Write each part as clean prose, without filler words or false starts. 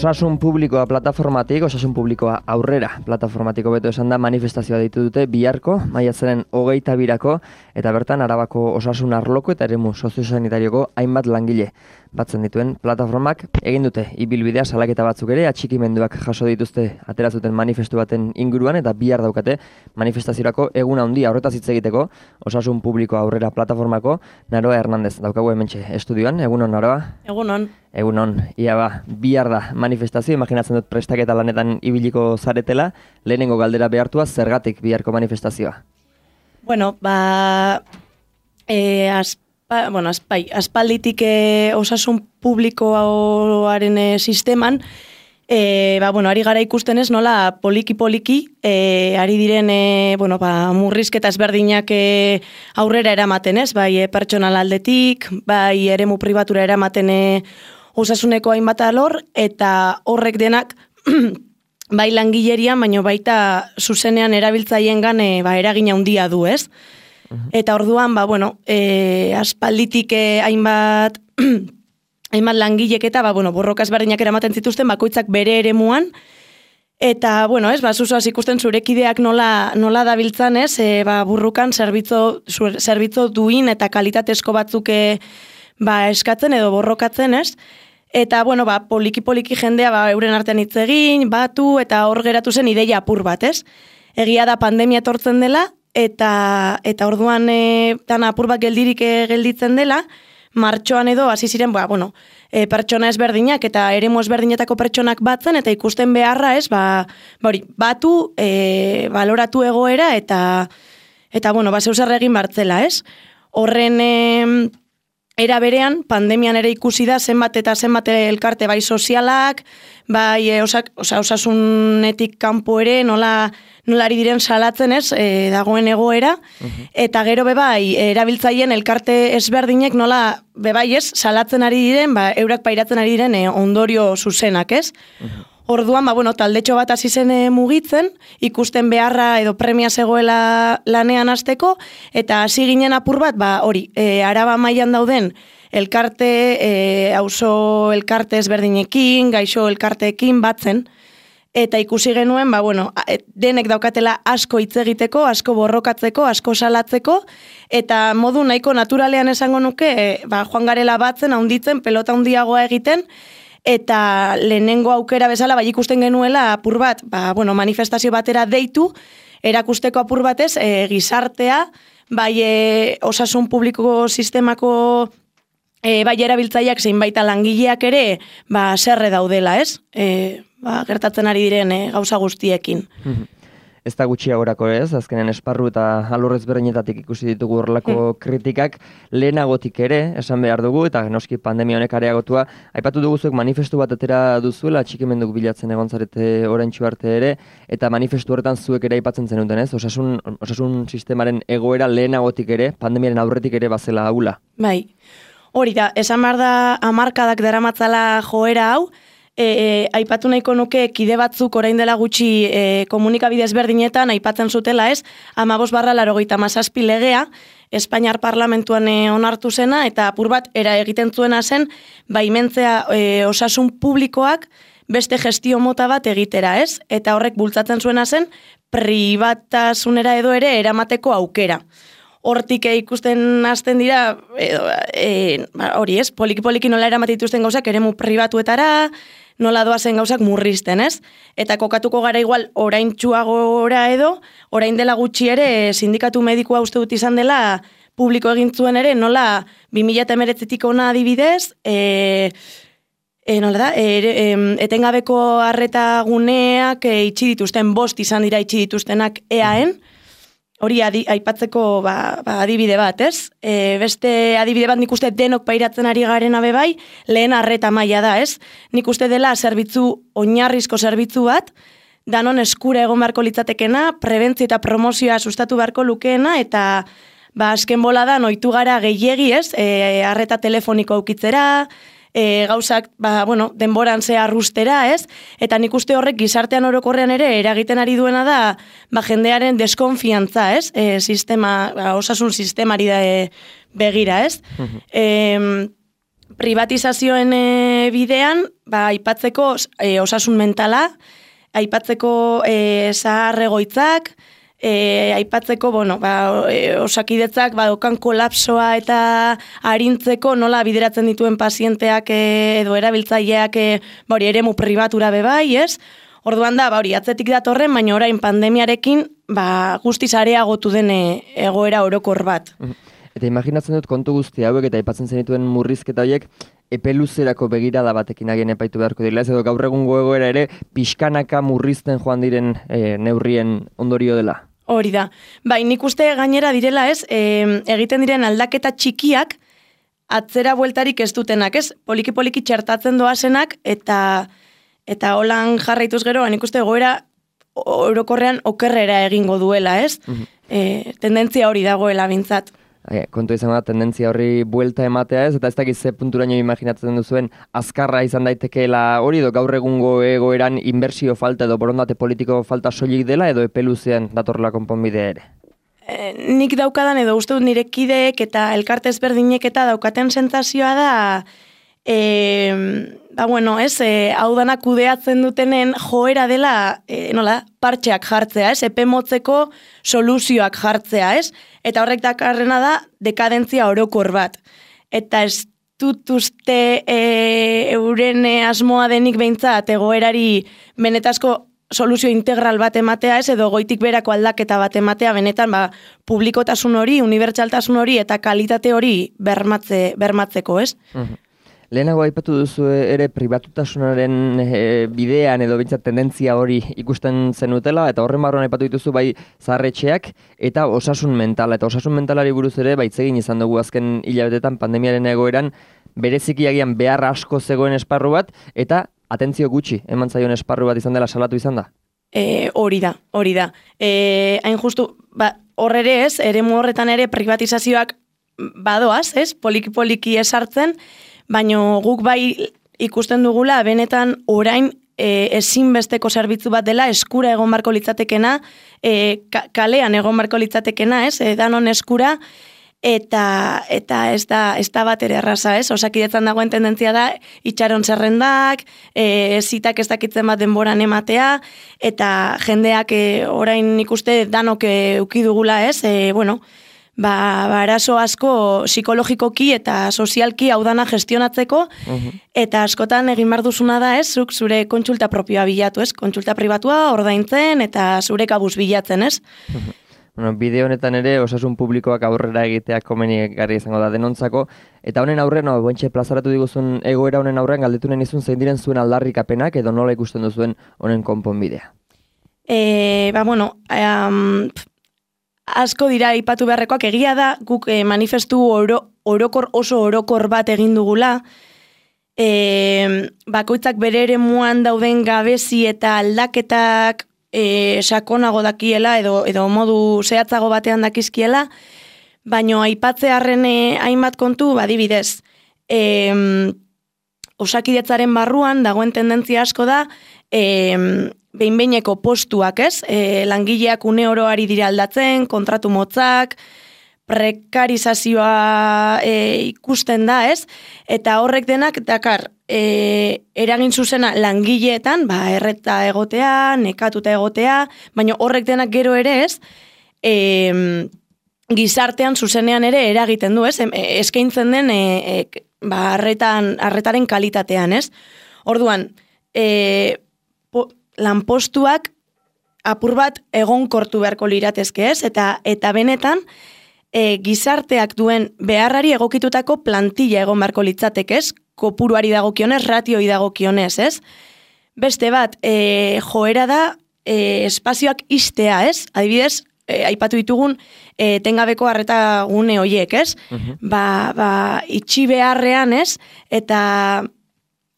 Osasun publikoa plataformatik, osasun publikoa aurrera plataformatiko beto esan da manifestazioa deitu dute biharko, maiatzaren 22 eta bertan Arabako osasun arloko eta eremu soziosanitarioko hainbat langile batzen dituen plataformak egin dute ibilbidea salaketa batzuk ere atxikimenduak jaso dituzte ateratzuten manifestu baten inguruan eta bihar daukate manifestaziorako egun handia horretaz hitz egiteko osasun publikoa aurrera plataformako Naroa Hernandez daukagu hementxe estudioan. Egunon, Naroa? Egunon. Egunon, bihar da manifestazio, imaginatzen dut prestaketa lanetan ibiliko zaretela, lehenengo galdera behartua zergatik biharko manifestazioa? Bueno, aspalditik osasun publikoaren sisteman, ari gara ikusten ez nola poliki-poliki, ari diren murrizketa ezberdinak aurrera eramaten ez, bai pertsonal aldetik, bai eremu pribatura eramaten osasuneko hainbat alor, eta horrek denak bai langilerian, baino baita zuzenean erabiltzaiengan eragina handia du, ez? Eta orduan, aspalditik hainbat langilek eta borroka ezberdinak eramaten zituzten bakoitzak bere eremuan, eta, zuzoaz ikusten zurekideak nola dabiltzan, ez? Burrukan zerbitzo duin eta kalitatezko batzuk eskatzen edo borrokatzen, ez? Eta, poliki-poliki jendea euren artean hitz egin, batu, eta hor geratu zen ideia apur bat, ez? Egia da pandemia etortzen dela, eta orduan dana apur bat gelditzen dela, martxoan edo hasi ziren, pertsona ezberdinak eta eremu ezberdinetako pertsonak batzen, eta ikusten beharra, ez? Batu, baloratu egoera, eta zeuzer egin bartzela, ez? Horren era berean, pandemian ere ikusi da zenbat eta zenbat elkarte bai sozialak, bai osasunetik kanpo ere nola ari diren salatzen ez, dagoen egoera, eta gero bebai erabiltzaien elkarte ezberdinek nola bebai ez, salatzen ari diren, eurak pairatzen ari diren ondorio zuzenak ez. Orduan, taldetxo bat hasi zen mugitzen, ikusten beharra edo premia zegoela lanean hasteko, eta hasi ginen apur bat, Araba mailan dauden elkarte, auzo elkarte ezberdinekin, gaixo elkarteekin batzen, eta ikusi genuen, denek daukatela asko hitz egiteko, asko borrokatzeko, asko salatzeko, eta modu nahiko naturalean esango nuke, joan garela batzen, handitzen, pelota handiagoa egiten, eta lehenengo aukera bezala ikusten genuela apur bat, manifestazio batera deitu, erakusteko apur batez, gizartea, osasun publiko sistemako erabiltzaileak zein baita langileak ere, zerre daudela, ez? Gertatzen ari diren gauza guztiekin. Ez da gutxiagorako ez, azkenen esparru eta alorrez berdinetatik ikusi ditugu horrelako kritikak, lehenagotik ere, esan behar dugu, eta noski pandemia honek areagotua, aipatu duguzuek manifestu bat atera duzuela, atxikimenduk bilatzen egon zarete oraintsu arte ere, eta manifestu horretan zuek ere aipatzen zenuten ez, osasun sistemaren egoera lehenagotik ere, pandemiaren aurretik ere bazela haula. Bai, hori da, esan behar da hamarkadak daramatzala joera hau, aipatu nahiko nuke kide batzuk orain dela gutxi komunikabide ezberdinetan aipatzen zutela ez, 15/87 legea, Espainiar Parlamentuan onartu zena, eta apur bat era egiten zuena zen, baimentzea osasun publikoak beste gestio mota bat egitera ez, eta horrek bultzatzen zuena zen, pribatasunera edo ere eramateko aukera. Hortik ikusten hasten dira, hori ez, poliki-poliki nola eramatituzten gauzak eremu pribatuetara, nola doazen gauzak murrizten, ez? Eta kokatuko gara igual oraintsuagora edo, orain dela gutxi ere sindikatu medikua uste dut izan dela publiko egin zuen ere, nola 2019tik ona adibidez, etengabeko arreta guneak itxi dituzten, 5 izan dira itxi dituztenak EAen, hori aipatzeko adibide bat, ez? Beste adibide bat nik uste denok pairatzen ari garen bai, lehen arreta maila da, ez? Nik uste dela oinarrizko zerbitzu bat, danon eskura egon beharko litzatekena, prebentzio eta promozioa sustatu beharko lukeena, eta azken boladan ohitu gara gehiegi, ez? Arreta telefoniko aukitzera, gauzak, denboran ze arrustera, ez? Eta nik uste horrek gizartean orokorrean ere eragiten ari duena da, jendearen deskonfiantza, ez? Osasun sistemari da begira, ez? privatizazioen bidean, aipatzeko osasun mentala, aipatzeko zahar egoitzak, aipatzeko, osakidetzak okan kolapsoa eta arintzeko nola bideratzen dituen pazienteak edo erabiltzaileak eremu pribatura bebai, ez? Orduan da, atzetik datorren, baina orain pandemiarekin guztiz areagotu den egoera orokor bat. Eta imaginatzen dut kontu guzti hauek eta aipatzen zenituen murrizketa horiek epe luzerako begirada batekin agien epaitu beharko direla, ez edo gaur egungo egoera ere pixkanaka murrizten joan diren neurrien ondorio dela. Hori da. Nik uste gainera direla ez, egiten diren aldaketa txikiak atzera bueltarik ez dutenak, ez? Poliki txertatzen doazenak eta holan jarraituz gero, nik uste egoera orokorrean okerrera egingo duela, ez? Tendentzia hori dagoela bintzat. Kontu izango da, tendentzia horri buelta ematea ez, eta ez dakiz ze punturaino imaginatzen duzuen azkarra izan daitekeela hori, edo gaur egungo egoeran inbertsio falta edo borondate politiko falta soilik dela, edo epeluzean datorla konponbidea ere? Nik daukadan edo uste dut nire kideek eta elkarte ezberdinek eta daukaten sentsazioa da, hau dana kudeatzen dutenen joera dela, partxeak jartzea, ez? Epe motzeko soluzioak jartzea, ez? Eta horrek dakarrena da dekadentzia orokor bat. Eta ez dut uste euren asmoa denik behintzat egoerari benetazko soluzio integral bat ematea, ez? Edo goitik berako aldaketa bat ematea, benetan publikotasun hori, unibertsaltasun hori eta kalitate hori bermatzeko, ez? Lehenago aipatu duzu ere pribatutasunaren bidean edo bintzat tendentzia hori ikusten zenutela, eta horren barruan aipatu dituzu bai zaharretxeak eta osasun mentala. Eta osasun mentalari buruz ere baitzegin izan dugu azken hilabetetan pandemiaren egoeran bereziki agian behar asko zegoen esparru bat, eta atentzio gutxi eman zaion esparru bat izan dela salatu izan da? Hori da. Hain justu, hor ere ez, eremu horretan ere privatizazioak badoaz, ez? Poliki esartzen, baina guk bai ikusten dugula benetan orain ezinbesteko zerbitzu bat dela eskura egon barko litzatekena, kalean egon barko litzatekena, ez? Danon eskura, eta ez da bat ere erraza, ez? Osakidetzan dagoen tendentzia da itxaron zerrendak, zitak ez dakitzen bat denboran ematea, eta jendeak orain ikuste danok uki dugula, ez? Arazo asko psikologikoki eta sozialki hau dana gestionatzeko, eta askotan egin behar duzuna da, ez? Zuk zure kontsulta propioa bilatu, ez? Kontsulta pribatua ordaintzen eta zure kabuz bilatzen, ez? Bide honetan ere osasun publikoak aurrera egiteak komenigarria izango da denontzako, eta honen aurrean, bontxe plazaratu diguzun egoera honen aurrean galdetunen izun zein diren zuen aldarrikapenak edo nola ikusten duzuen honen konponbidea? Asko dira aipatu beharrekoak, egia da, guk manifestu oso orokor bat egin dugula, bakoitzak bere eremuan dauden gabezi eta aldaketak sakonago dakiela edo modu zehatzago batean dakizkiela, baino aipatzearren hainbat kontu, badibidez, osakidetzaren barruan dagoen tendentzia asko da, behin-behineko postuak, ez? Langileak une oro ari dira aldatzen, kontratu motzak, prekarizazioa ikusten da, ez? Eta horrek denak dakar, eragin zuzena langileetan, erreta egotea, nekatuta egotea, baina horrek denak gero ere, ez? Gizartean zuzenean ere eragiten du, ez? Eskaintzen den arretaren kalitatean, ez? Orduan, lanpostuak apur bat egonkortu beharko liratezke, ez? Eta benetan, gizarteak duen beharrari egokitutako plantilla egon beharko litzateke, ez? Kopuruari dagokionez, ratioi dagokionez, ez? Beste bat, joera da espazioak istea, ez? Adibidez, aipatu ditugun tengabeko arreta gune hoiek, ez? Itxi beharrean, ez? Eta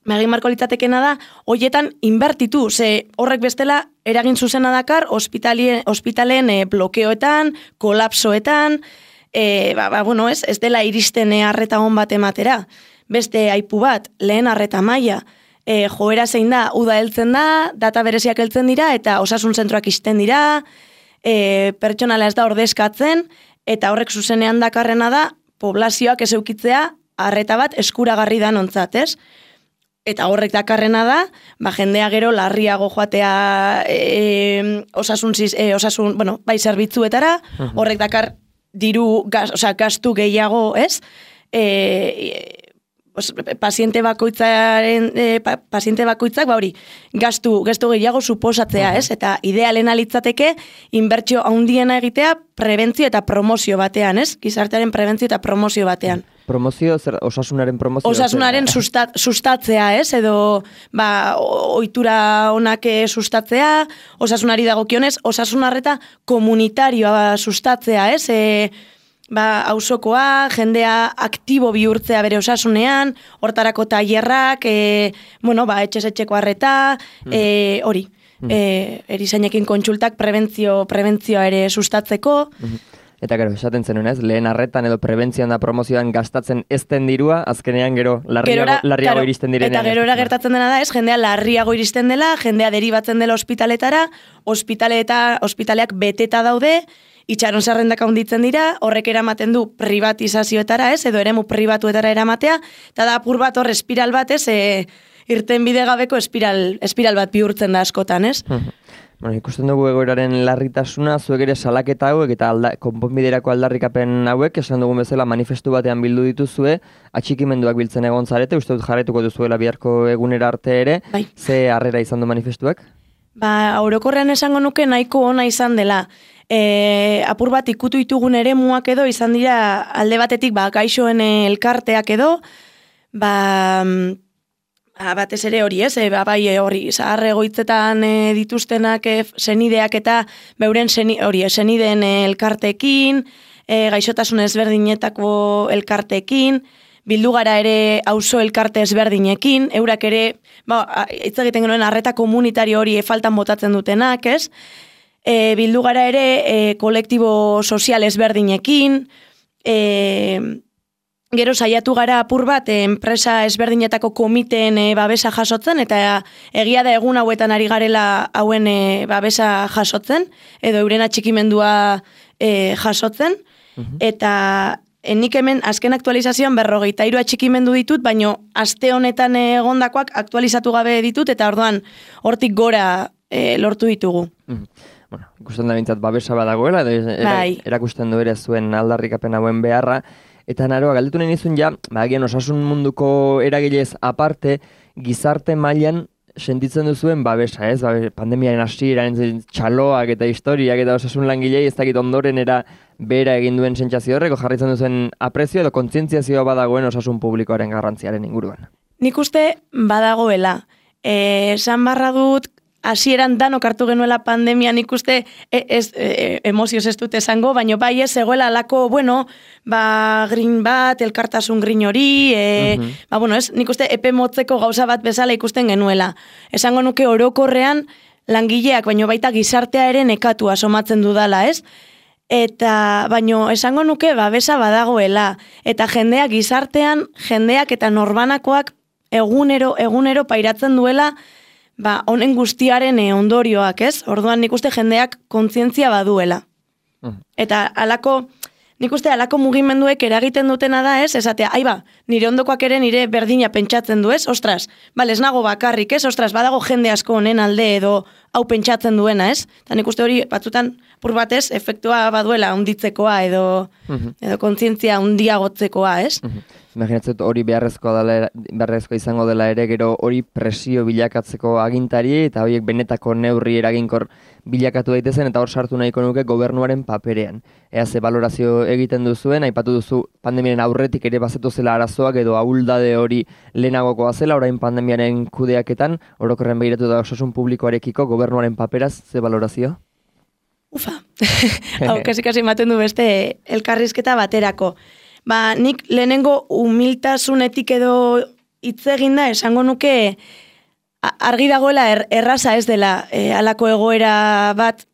egin marko litzatekena da, hoietan inbertitu, ze horrek bestela eragin zuzena dakar ospitaleen blokeoetan, kolapsoetan, ez dela iristen arreta hon bat ematera. Beste aipu bat, lehen arreta maila, joera zein da, uda heltzen da, data bereziak heltzen dira, eta osasun zentroak isten dira, pertsonala ez da ordezkatzen, eta horrek zuzenean dakarrena da, poblazioak ez eukitzea, arreta bat eskuragarri da nontzat, ez? Eta horrek dakarrena da, jendea gero larriago joatea bai zerbitzuetara, horrek dakar gastu gehiago, ez? Paziente bakoitzak hori gastu gehiago suposatzea, ez? Eta idealena litzateke inbertsio handiena egitea prebentzio eta promozio batean, ez? Gizartearen prebentzio eta promozio batean. Promozio, osasunaren promozio? Osasunaren sustatzea, ez? Edo, ohitura onak sustatzea, osasunari dagokionez, osasunarreta komunitarioa sustatzea, ez? Auzokoa, jendea aktibo bihurtzea bere osasunean, hortarako tailerrak, etxez-etxeko arreta, hori. Erizainekin kontsultak prebentzioa ere sustatzeko. Eta gero, esaten zenuen ez, lehen arretan edo prebentzioan da promozioan gastatzen ez den dirua, azkenean gero larriago iristen direnean. Eta gerora gertatzen dena da ez, jendea larriago iristen dela, jendea deribatzen dela ospitaletara, ospitaleak beteta daude, itxaron zerrendak handitzen dira, horrek eramaten du privatizazioetara ez, edo eremu pribatuetara eramatea, eta da apur bat hor espiral bat ez, irten bide gabeko espiral bat bihurtzen da askotan ez. Ikusten dugu egoeraren larritasuna, zuek ere salaketa hauek eta konponbiderako aldarrikapen hauek, esan dugun bezala manifestu batean bildu dituzue, atxikimenduak biltzen egon zarete, uste dut jarretuko duzuela biharko egunera arte ere, ze harrera izan du manifestuak? Orokorrean esango nuke nahiko ona izan dela. Apur bat ikutu ditugun eremuak edo izan dira alde batetik gaixoen elkarteak edo, batez ere hori ez, hori zahar egoitzetan dituztenak senideak eta beuren senideen elkartekin, gaixotasun ezberdinetako elkartekin, bildu gara ere auzo elkarte ezberdinekin, eurak ere, hitz egiten genuen arreta komunitario hori faltan botatzen dutenak, ez? Bildu gara ere kolektibo sozial ezberdinekin, gero saiatu gara apur bat enpresa ezberdinetako komiteen babesa jasotzen, eta egia da egun hauetan ari garela hauen babesa jasotzen, edo euren atxikimendua jasotzen, eta nik hemen azken aktualizazioan 53 atxikimendu ditut, baino aste honetan egondakoak aktualizatu gabe ditut, eta orduan hortik gora lortu ditugu. Ikusten da bintzat babesa badagoela, erakusten du ere zuen aldarrikapen hauen beharra, eta naroa, galdetu nahi nizun agian osasun munduko eragilez aparte, gizarte mailan sentitzen duzuen babesa, ez? Pandemiaren hasieran txaloak eta historiak eta osasun langilei ez dakit ondorenera bera egin duen sentsazio horreko jarritzen duzuen aprezio edo kontzientziazioa badagoen osasun publikoaren garrantziaren inguruan. Nik uste badagoela. Esan barra dut, hasieran danok hartu genuela pandemia, nik uste emozioz ez dut esango, baina bai ez egoela alako, grin bat, elkartasun grin hori, nik uste epe motzeko gauza bat bezala ikusten genuela. Esango nuke orokorrean langileak, baino baita gizartea ere nekatua somatzen dudala, ez? Eta, baino, esango nuke babesa badagoela, eta jendeak eta norbanakoak egunero pairatzen duela, honen guztiaren ondorioak, ez? Orduan nik uste jendeak kontzientzia baduela. Eta nik uste alako mugimenduek eragiten dutena da, ez? Esatea, nire ondokoak ere nire berdina pentsatzen du, ez? Ostras, ez nago bakarrik, ez? Ostras, badago jende asko honen alde edo hau pentsatzen duena, ez? Eta nik uste hori batzutan pur batez efektua baduela hunditzekoa edo kontzientzia hundiagotzekoa, ez? Imaginatzen hori beharrezkoa izango dela ere, gero hori presio bilakatzeko agintari eta horiek benetako neurri eraginkor bilakatu daitezen, eta hor sartu nahiko nuke gobernuaren paperean. Ea ze balorazio egiten duzuen, aipatu duzu pandemiaren aurretik ere bazetu zela arazoak edo ahuldade hori lehenagokoa zela, orain pandemiaren kudeaketan, orokorren begiratu da osasun publikoarekiko gobernuaren paperaz, ze balorazio? Hau, kasi ematen du beste elkarrizketa baterako. Nik lehenengo humiltasunetik edo hitz eginda esango nuke argi dagoela erraza ez dela halako egoera bat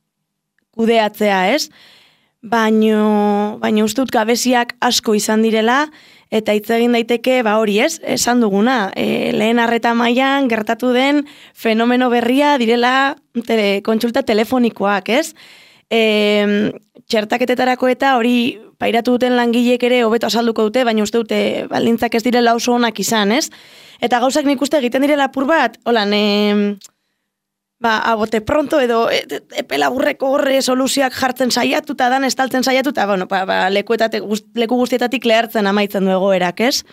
kudeatzea, ez? Baino uste dut gabeziak asko izan direla, eta hitz egin daiteke hori ez, esan duguna, lehen arreta mailan gertatu den fenomeno berria direla kontsulta telefonikoak, ez? txertaketetarako eta hori pairatu duten langileek ere hobeto azalduko dute, baina uste dute baldintzak ez direla oso onak izan, ez? Eta gauzak nik uste egiten direla apur bat, holan, abote pronto edo epe laburreko horre soluzioak jartzen saiatu eta dan estaltzen saiatu eta leku guztietatik lehartzen amaitzen du egoerak, ez?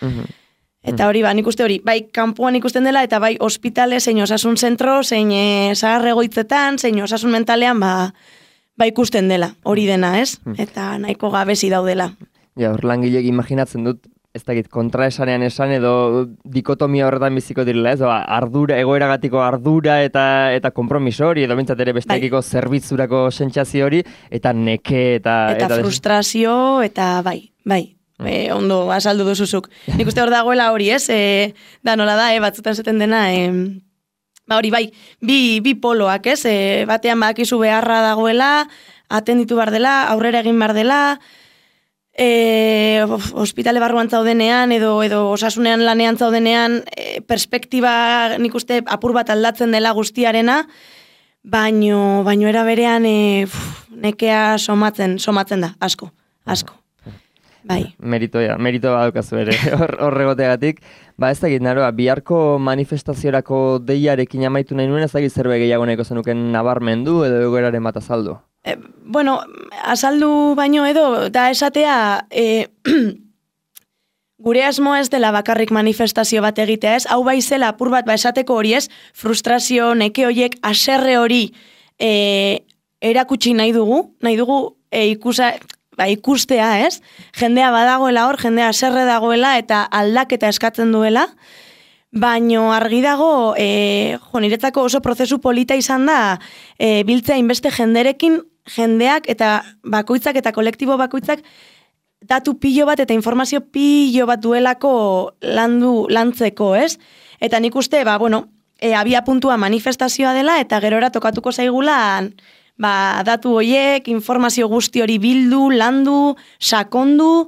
Eta hori, nik uste hori, bai kanpoan ikusten dela eta bai ospitale, zein osasun zentro, zein zahar egoitzetan, zein osasun mentalean, ikusten dela, hori dena, ez? Eta nahiko gabezi daudela. Ja, hor langilek imaginatzen dut, ez dakit, kontraesanean esan edo dikotomia horretan biziko direla, ez? Ardura, egoeragatiko ardura eta kompromiso hori, edo bintzat ere bestekiko zerbitzurako sentsazio hori, eta neke eta frustrazio, eta bai. Ondo azaldu duzuzuk. Nik uste hor dagoela hori, ez? Da nola da, batzutan zaten dena, hori bai, bi poloak, ez? Batean bakizu beharra dagoela, atenditu behar dela, aurrera egin behar dela, ospitale barruan zaudenean, edo osasunean lanean zaudenean, perspektiba nik uste apur bat aldatzen dela guztiarena, baino era berean nekea somatzen da, asko. Bai. Meritoa daukazu ere, horregoteagatik. Ez dakit, naroa, biharko manifestaziorako deiarekin amaitu nahi nuen, ez dakit zerbait gehiago nahiko zenuken nabarmendu edo egoeraren bat azaldu? Azaldu baino edo, da esatea, gure asmoa ez dela bakarrik manifestazio bat egitea, ez? Hau bai zela apur bat esateko hori, ez? Frustrazio, neke horiek, haserre hori erakutsi nahi dugu ikustea, ez? Jendea badagoela hor, jendea haserre dagoela eta aldaketa eskatzen duela, baino argi dago, niretzako oso prozesu polita izan da, biltzea inbeste jendeak eta bakoitzak eta kolektibo bakoitzak datu pilo bat eta informazio pilo bat duelako lantzeko, ez? Eta nik uste, abia puntua manifestazioa dela eta gerora tokatuko zaigulan datu horiek, informazio guzti hori bildu, landu, sakondu,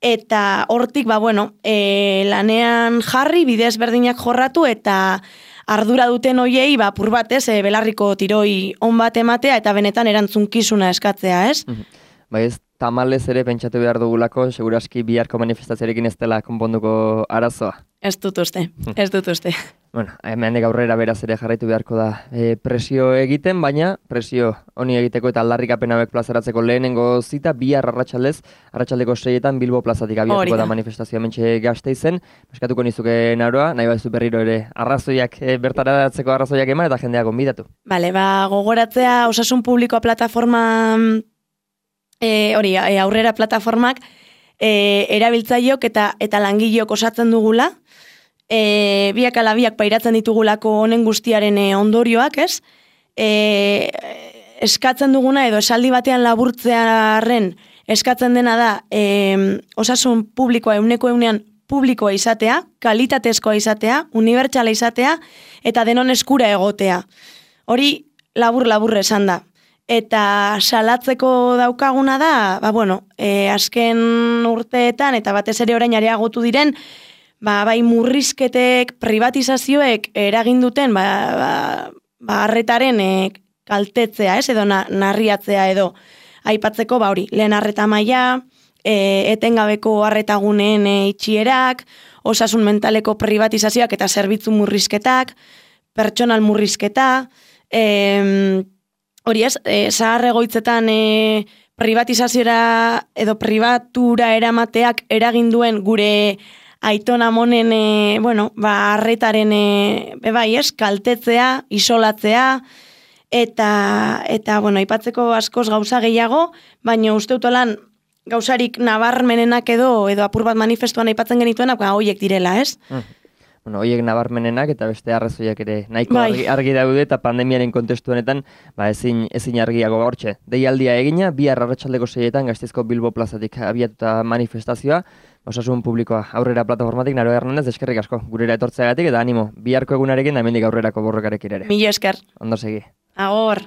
eta hortik, lanean jarri, bide ezberdinak jorratu, eta ardura duten horiei, apur bat, belarriko tiroi on bat ematea, eta benetan erantzunkizuna eskatzea, ez? Ez tamalez ere pentsatu behar dugulako, seguraski biharko manifestazioarekin ez dela konponduko arazoa. Ez dut uste. Hemendik aurrera beraz ere jarraitu beharko da presio egiten, baina presio honi egiteko eta aldarrikapen hauek plazaratzeko lehenengo zita, bihar arratsaldeko 6etan Bilbo plazatik abiatuko da manifestazioa hementxe Gasteizen. Eskatuko nizuke Naroa, nahi baduzu berriro ere arrazoiak bertaratzeko arrazoiak eman eta jendeak gonbidatu. Gogoratzea osasun publikoa plataforma aurrera plataformak erabiltzaileok eta langileok osatzen dugula, biak ala biak pairatzen ditugulako honen guztiaren ondorioak, ez? Eskatzen duguna edo esaldi batean laburtzearen eskatzen dena da osasun publikoa 100% publikoa izatea, kalitatezkoa izatea, unibertsala izatea eta denon eskura egotea. Hori labur esan da. Eta salatzeko daukaguna da, azken urteetan eta batez ere orain areagotu diren, bai murrizketek, privatizazioek eragin duten, arretaren kaltetzea, ez, edo narriatzea edo aipatzeko, lehen arreta maila, etengabeko arretaguneen itxierak, osasun mentaleko privatizazioak eta zerbitzu murrizketak, pertsonal murrizketa, hori ez, zahar egoitzetan privatizaziora edo pribatura eramateak eragin duen gure aitona monen, arretaren, kaltetzea, isolatzea, eta aipatzeko askoz gauza gehiago, baina uste utolan gauzarik nabarmenenak edo apur bat manifestuan aipatzen genituenak, horiek direla, ez? Horiek nabarmenenak eta beste arrazoiak ere nahiko argi daude eta pandemiaren kontestu honetan ezin argiago hortxe. Deialdia egina, bihar arratsaldeko 6etan Gasteizko Bilbo plazatik abiatuta manifestazioa, osasun publikoa aurrera plataformatik. Naroa Hernandez, eskerrik asko gurera etortzeagatik eta animo, biharko egunarekin da hemendik aurrerako borrokarekin ere. Mila esker. Ondo segi. Agor.